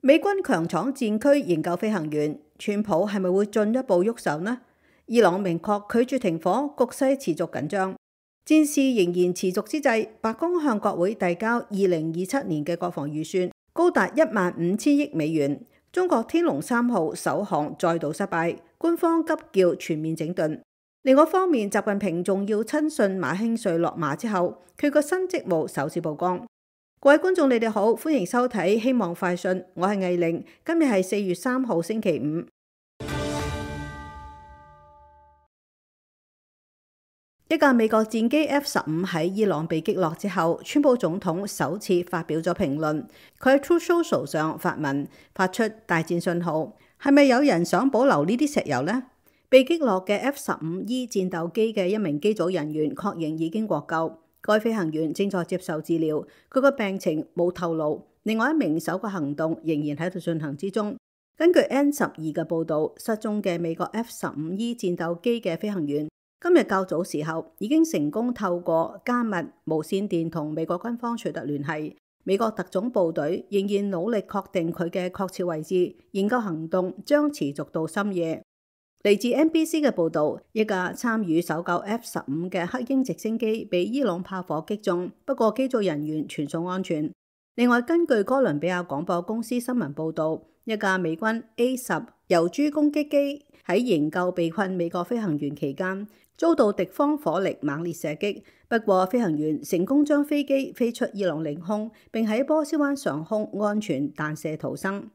美軍強闖戰區營救飛行員，川普係咪會進一步喐手呢？伊朗明確拒絕停火，局勢持續緊張。戰事仍然持續之際，白宮向國會遞交2027年嘅國防預算，高達15000億美元。中國天龍3號首航再度失敗，官方急叫全面整頓。另外一方面，習近平重要親信馬興瑞落馬之後，佢個新職務首次曝光。各位觀眾，你哋好，歡迎收睇希望快訊，我係藝玲，今日係4月3號星期五。一架美國戰機 F-15喺伊朗被擊落之後，川普總統首次發表咗評論。佢喺 Truth Social 上發文，發出大戰信號。係咪有人想保留呢啲石油呢？被擊落嘅 F-15E 戰鬥機嘅一名機組人員確認已經獲救，該飛行員正在接受治療，佢個病情冇透露。另外一名搜救行動仍然喺度進行之中。根據 N12嘅報導，失蹤嘅美國 F-15E 戰鬥機嘅飛行員，今日較早時候已經成功透過加密無線電同美國軍方取得聯繫。美國特種部隊仍然努力確定佢嘅確切位置，研究行動將持續到深夜。嚟自 NBC 嘅報導，一架參與搜救 F-15嘅黑鷹直升機被伊朗炮火擊中，不過機組人員全數安全。另外，根據哥倫比亞廣播公司新聞報導，一架美軍 A-10遊珠攻擊機喺營救被困美國飛行員期間，遭到敵方火力猛烈射擊，不過飛行員成功將飛機飛出伊朗領空，並喺波斯灣上空安全彈射逃生。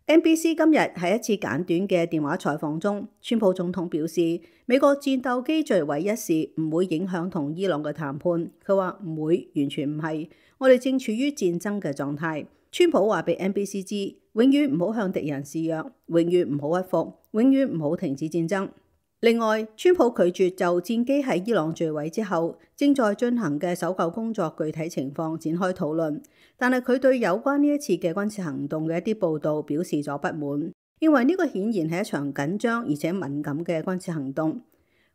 NBC 今日喺一次簡短嘅電話採訪中，川普總統表示，美國戰鬥機墜毀一事唔會影響同伊朗嘅談判。佢話唔會，完全唔係，我哋正處於戰爭嘅狀態。川普話俾 NBC 知，永遠唔好向敵人示弱，永遠唔好屈服，永遠唔好停止戰爭。另外，川普拒絕就戰機喺伊朗墜毀之後正在進行嘅搜救工作具體情況展開討論，但係佢對有關呢一次嘅軍事行動嘅一啲報導表示咗不滿，認為呢個顯然係一場緊張而且敏感嘅軍事行動。《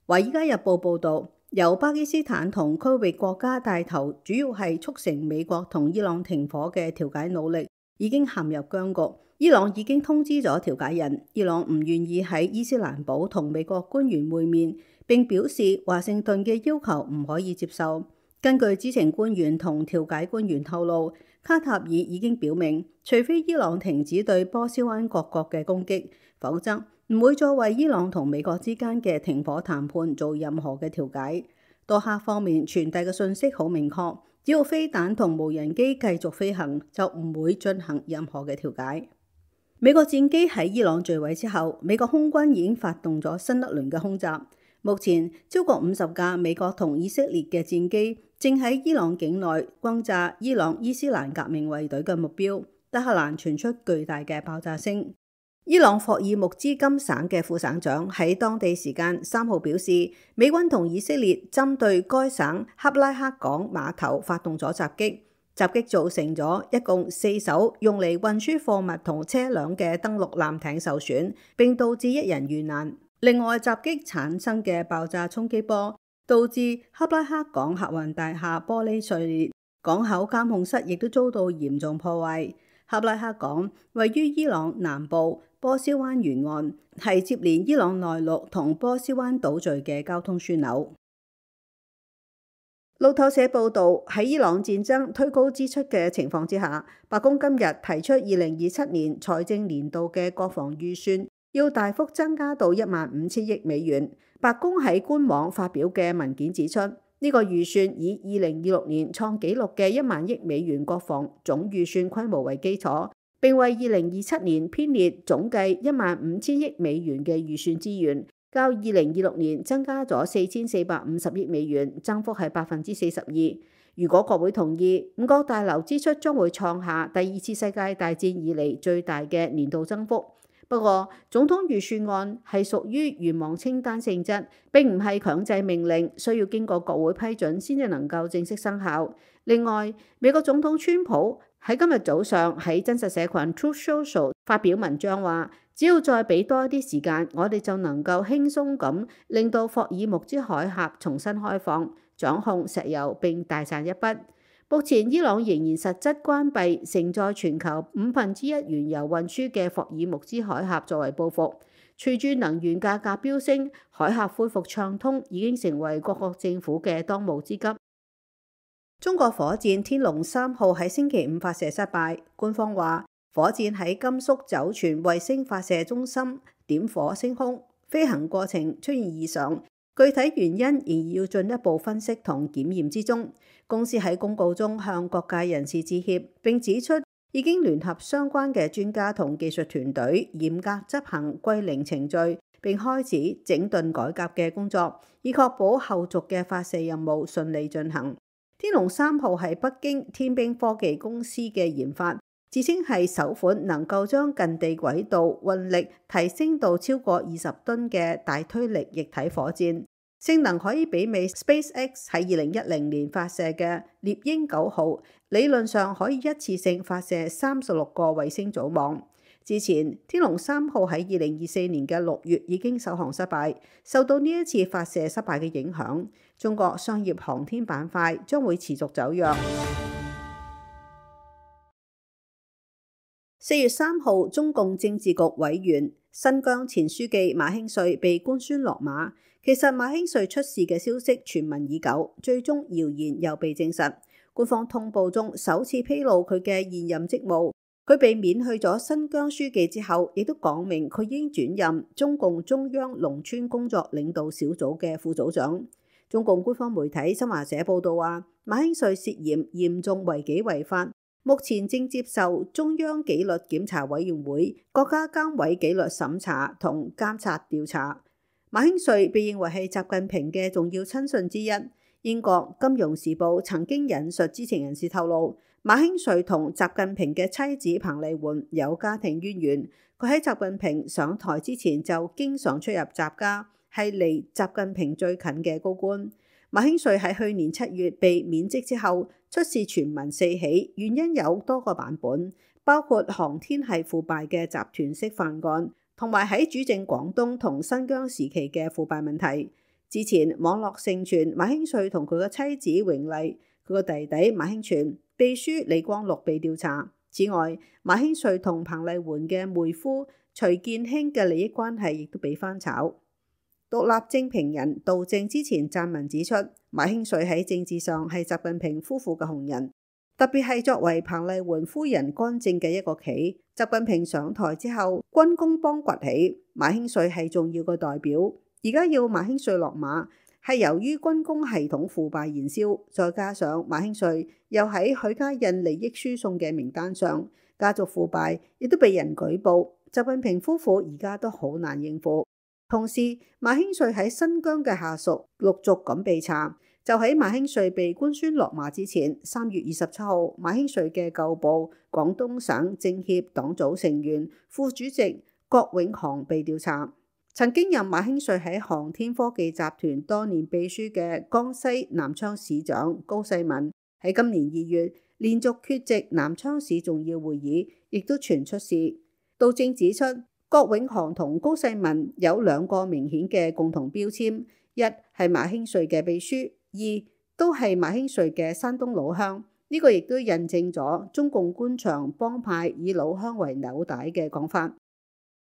華爾街日報》報導，由巴基斯坦同區域國家帶頭，主要係促成美國同伊朗停火嘅調解努力已經陷入僵局。伊朗已經通知咗調解人，伊朗唔願意喺伊斯蘭堡同美國官員會面，並表示華盛頓嘅要求唔可以接受。根據知情官員同調解官員透露，卡塔爾已經表明，除非伊朗停止對波斯灣各國嘅攻擊，否則唔會再為伊朗同美國之間嘅停火談判做任何嘅調解。多哈方面傳遞嘅信息好明確，只要飛彈同無人機繼續飛行，就唔會進行任何嘅調解。美國戰機喺伊朗墜毀之後，美國空軍已經發動咗新一輪嘅空襲。目前超過50架美國同以色列嘅戰機正喺伊朗境內轟炸伊朗伊斯蘭革命衛隊嘅目標。德黑蘭傳出巨大嘅爆炸聲。伊朗霍爾木茲金省嘅副省長喺當地時間3號表示，美軍同以色列針對該省克拉克港碼頭發動咗襲擊。襲擊造成咗一共4艘用嚟運輸貨物同車輛嘅登陸艦艇受損，並導致1人遇難。另外，襲擊產生嘅爆炸衝擊波導致克拉克港客運大廈玻璃碎裂，港口監控室亦都遭到嚴重破壞。克拉克港位於伊朗南部波斯灣沿岸，係接連伊朗內陸同波斯灣島嶼嘅交通樞紐。路透社報導，喺伊朗戰爭推高支出嘅情況之下，白宮今日提出2027年財政年度嘅國防預算要大幅增加到15000億美元。白宮喺官網發表嘅文件指出，呢個預算以2026年創紀錄嘅1萬億美元國防總預算規模為基礎，並為2027年編列總計15000億美元嘅預算資源。較2026年增加咗4450億美元，增幅係42%。如果國會同意，五角大樓支出將會創下第2次世界大戰以嚟最大嘅年度增幅。不過，總統預算案係屬於願望清單性質，並唔係強制命令，需要經過國會批准先至能夠正式生效。另外，美國總統川普喺今日早上喺真實社群 Truth Social 發表文章話，只要再俾多一啲時間，我哋就能夠輕鬆咁令到霍爾木茲海峽重新開放，掌控石油並大賺一筆。目前伊朗仍然實質關閉承載全球1/5原油運輸嘅霍爾木茲海峽作為報復。隨住能源價格飆升，海峽恢復暢通已經成為各國政府嘅當務之急。中國火箭天龍3號喺星期五發射失敗，官方話火箭喺甘肅酒泉衛星發射中心點火升空，飛行過程出現異常，具體原因仍要進一步分析同檢驗之中。公司喺公告中向各界人士致歉，並指出已經聯合相關嘅專家同技術團隊，嚴格執行歸零程序，並開始整頓改革嘅工作，以確保後續嘅發射任務順利進行。天龍3號係北京天兵科技公司嘅研發，自稱係首款能夠將近地軌道運力提升到超過20噸嘅大推力液體火箭，性能可以媲美 SpaceX 喺2010年發射嘅獵鷹9號，理論上可以一次性發射36個衛星組網。之前天龍3號喺2024年嘅6月已經首航失敗，受到呢一次發射失敗嘅影響，中國商業航天板塊將會持續走弱。4月3號，中共政治局委員、新疆前書記馬興瑞被官宣落馬。其實馬興瑞出事嘅消息傳聞已久，最終謠言又被證實。官方通報中首次披露佢嘅現任職務。佢被免去咗新疆書記之後，亦都講明佢已經轉任中共中央農村工作領導小組嘅副組長。中共官方媒體新華社報道話，馬興瑞涉嫌嚴重違紀違法，目前正接受中央紀律檢查委員會、國家監委紀律審查同監察調查。馬興瑞被認為係習近平嘅重要親信之一。英國《金融時報》曾經引述知情人士透露，馬興瑞同習近平嘅妻子彭麗媛有家庭淵源。佢喺習近平上台之前就經常出入習家，係離習近平最近嘅高官。馬興瑞喺去年7月被免職之後，出事傳聞四起，原因有多個版本，包括航天係腐敗嘅集團式犯案，同埋喺主政廣東同新疆時期嘅腐敗問題。之前網絡盛傳馬興瑞同佢嘅妻子榮麗、佢個弟弟馬興全、秘書李光祿被調查。此外，馬興瑞同彭麗媛嘅妹夫徐建興嘅利益關係亦都被翻炒。獨立政評人杜正之前撰文指出，馬興瑞喺政治上係習近平夫婦嘅紅人，特別係作為彭麗媛夫人干政嘅一個棋。習近平上台之後，軍工幫崛起，馬興瑞係重要嘅代表。而家要馬興瑞落馬，係由於軍工系統腐敗燃燒，再加上馬興瑞又喺許家印利益輸送嘅名單上，家族腐敗亦都被人舉報。習近平夫婦而家都好難應付。同時，馬興瑞喺新疆嘅下屬陸續咁被查。就喺馬興瑞被官宣落馬之前，3月27號，馬興瑞嘅舊部廣東省政協黨組成員、副主席郭永航被調查。曾經任馬興瑞喺航天科技集團多年秘書嘅江西南昌市長高世民，喺今年2月連續缺席南昌市重要會議，亦都傳出事。杜正指出，郭永航同高世民有2個明顯嘅共同標籤：一係馬興瑞嘅秘書，二都係馬興瑞嘅山東老鄉。呢個亦都印證咗中共官場幫派以老鄉為紐帶嘅講法。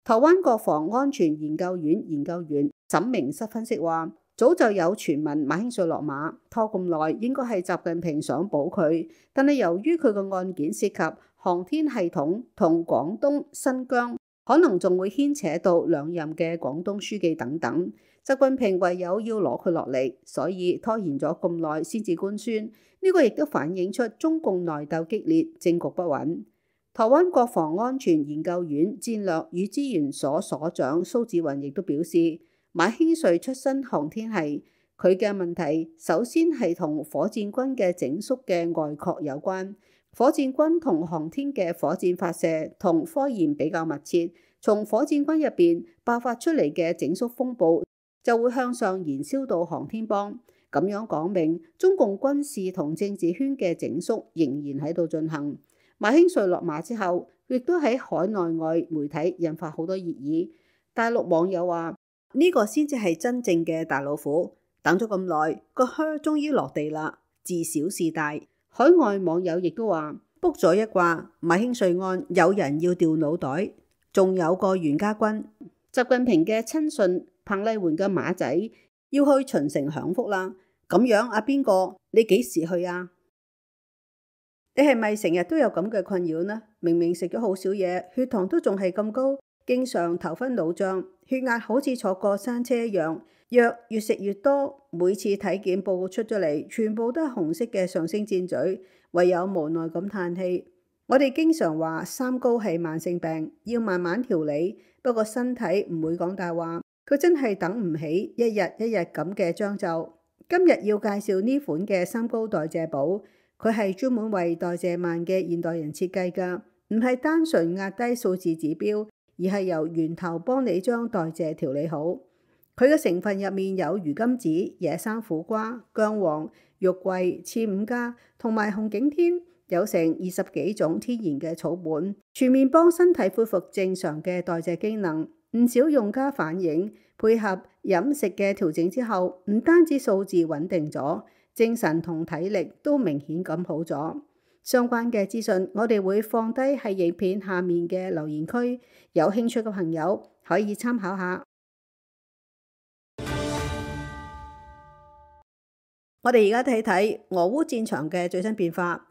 台灣國防安全研究院研究員沈明室分析話，早就有傳聞馬興瑞落馬，拖咁耐應該係習近平想保佢，但係由於佢個案件涉及航天系統同廣東、新疆，可能仲會牽扯到2任嘅廣東書記等等，習近平唯有要攞佢落嚟，所以拖延咗咁耐先至官宣。呢個亦都反映出中共內鬥激烈，政局不穩。台灣國防安全研究院戰略與資源所所長蘇志雲亦都表示，馬興瑞出身航天系，佢嘅問題首先係同火箭軍嘅整肅嘅外擴有關。火箭軍同航天嘅火箭發射同科研比較密切，從火箭軍入邊爆發出嚟嘅整肅風暴就會向上燃燒到航天幫。咁樣講明中共軍事同政治圈嘅整肅仍然喺度進行。馬興瑞落馬之後，亦都喺海內外媒體引發好多熱議。大陸網友話：呢個先至係真正嘅大老虎，等咗咁耐，個靴終於落地啦，自小事大。海外網友亦都話卜咗一卦，馬興瑞案有人要掉腦袋，仲有個袁家軍。習近平嘅親信彭麗媛嘅馬仔要去秦城享福啦。咁樣阿邊個，你幾時去啊？你係咪成日都有咁嘅困擾呢？明明食咗好少嘢，血糖都仲係咁高，經常頭昏腦脹，血壓好似坐過山車一樣，藥越食越多，每次體檢報告出咗嚟，全部都係紅色嘅上升箭嘴，唯有無奈咁嘆氣。我哋經常話三高係慢性病，要慢慢調理，不過身體唔會講大話，佢真係等唔起一日一日咁嘅將就。今日要介紹呢款嘅三高代謝寶，佢係專門為代謝慢嘅現代人設計㗎，唔係單純壓低數字指標，而係由源頭幫你將代謝調理好。佢嘅成分入面有魚甘子、野生苦瓜、薑黃、肉桂、刺五加同埋紅景天，有成20幾種天然嘅草本，全面幫身體恢復正常嘅代謝機能。唔少用家反映，配合飲食嘅調整之後，唔單止數字穩定咗，精神同體力都明顯咁好咗。相關嘅資訊我哋會放低喺影片下面嘅留言區，有興趣嘅朋友可以參考下。我哋而家睇睇俄烏戰場嘅最新變化。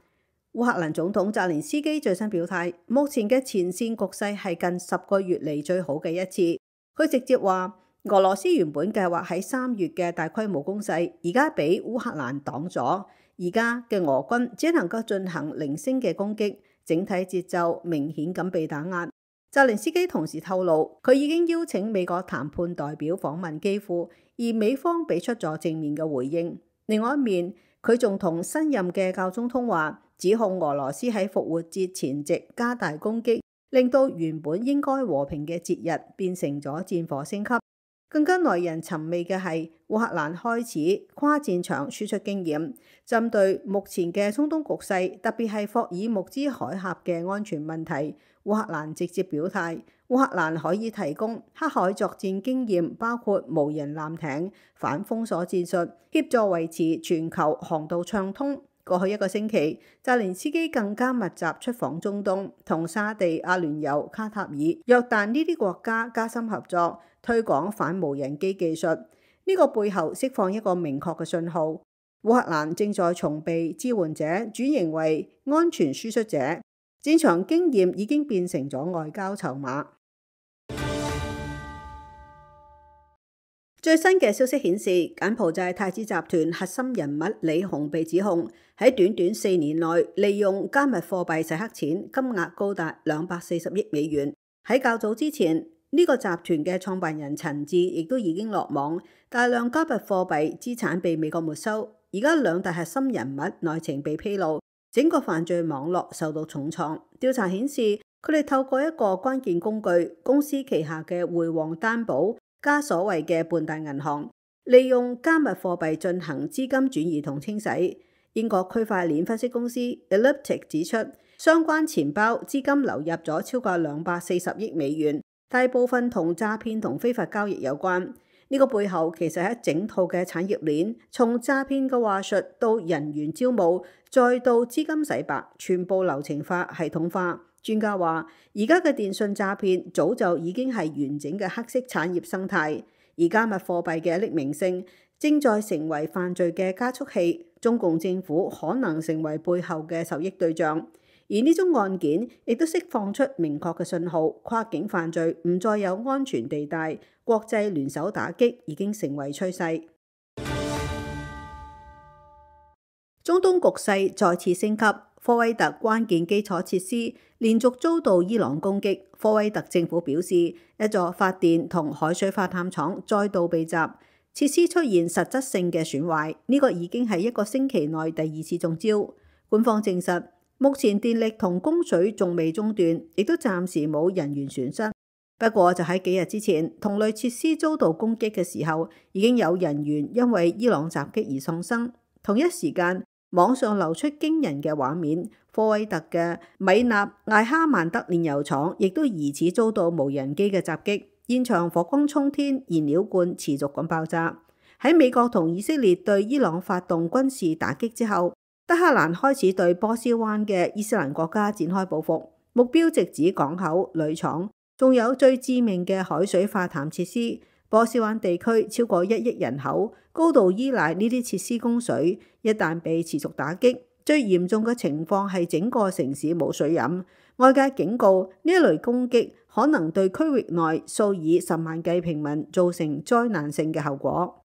烏克蘭總統澤連斯基最新表態，目前嘅前線局勢係近10個月嚟最好嘅一次。佢直接話，俄羅斯原本計劃喺3月嘅大規模攻勢，而家俾烏克蘭擋咗，而家嘅俄軍只能夠進行零星嘅攻擊，整體節奏明顯咁被打壓。澤連斯基同時透露，佢已經邀請美國談判代表訪問基輔，而美方俾出咗正面嘅回應。另外一面，佢仲同新任嘅教宗通話，指控俄羅斯喺復活節前夕加大攻擊，令到原本應該和平嘅節日變成咗戰火升級。更加耐人尋味嘅係，烏克蘭開始跨戰場輸出經驗，針對目前嘅中東局勢，特別係霍爾木茲海峽嘅安全問題，烏克蘭直接表態，烏克蘭可以提供黑海作戰經驗，包括無人艦艇、反封鎖戰術，協助維持全球航道暢通。過去1個星期，澤連斯基更加密集出訪中東，同沙地、阿聯酋、卡塔爾、約旦呢啲國家加深合作，推廣反無人機技術。呢個背後釋放一個明確嘅信號，烏克蘭正在從被支援者轉型為安全輸出者，戰場經驗已經變成咗外交籌碼。最新嘅消息顯示，柬埔寨太子集團核心人物李洪被指控喺短短4年內利用加密貨幣洗黑錢，金額高達240億美元。喺較早之前，呢個集團嘅創辦人陳志亦都已經落網，大量加密貨幣資產被美國沒收。而家2大核心人物內情被披露，整個犯罪網絡受到重創。調查顯示，佢哋透過一個關鍵工具，公司旗下嘅匯旺擔保加所謂嘅半大銀行，利用加密貨幣進行資金轉移同清洗。英國區塊鏈分析公司 Elliptic 指出，相關錢包資金流入咗超過240億美元，大部分同詐騙同非法交易有關。呢個背後其實係一整套嘅產業鏈，從詐騙嘅話術到人員招募，再到資金洗白，全部流程化、系統化。專家話，而家嘅電信詐騙早就已經係完整嘅黑色產業生態，而加密貨幣嘅匿名性正在成為犯罪嘅加速器，中共政府可能成為背後嘅受益對象。而呢宗案件亦都釋放出明確嘅信號，跨境犯罪唔再有安全地帶，國際聯手打擊已經成為趨勢。中東局勢再次升級，科威特關鍵基礎設施連續遭到伊朗攻擊。科威特政府表示，一座發電同海水化淡廠再度被襲，設施出現實質性嘅損壞。呢個已經係1個星期內第2次中招。官方證實，目前電力同供水仲未中斷，亦都暫時冇人員損失。不過就喺幾日之前，同類設施遭到攻擊嘅時候，已經有人員因為伊朗襲擊而喪生。同一時間，網上流出驚人嘅畫面，科威特嘅米納艾哈曼德煉油廠亦都疑似遭到無人機嘅襲擊，現場火光衝天，燃料罐持續咁爆炸。喺美國同以色列對伊朗發動軍事打擊之後，德黑蘭開始對波斯灣嘅伊斯蘭國家展開報復，目標直指港口、鋁廠，仲有最致命嘅海水化淡設施。波斯灣地區超過1億人口，高度依賴呢啲設施供水，一旦被持續打擊，最嚴重嘅情況係整個城市冇水飲。外界警告呢一類攻擊可能對區域內數以10萬計平民造成災難性嘅後果。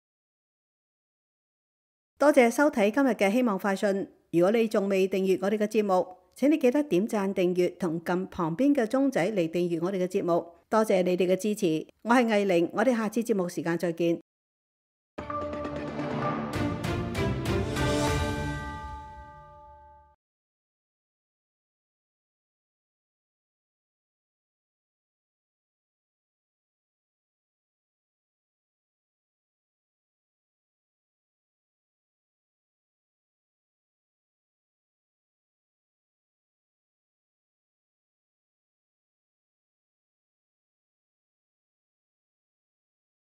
多謝收睇今日嘅希望快訊。如果你仲未訂閱我哋嘅節目，請你記得點讚訂閱同撳旁邊嘅鐘仔嚟訂閱我哋嘅節目。多謝你哋嘅支持，我係藝玲，我哋下次節目時間再見。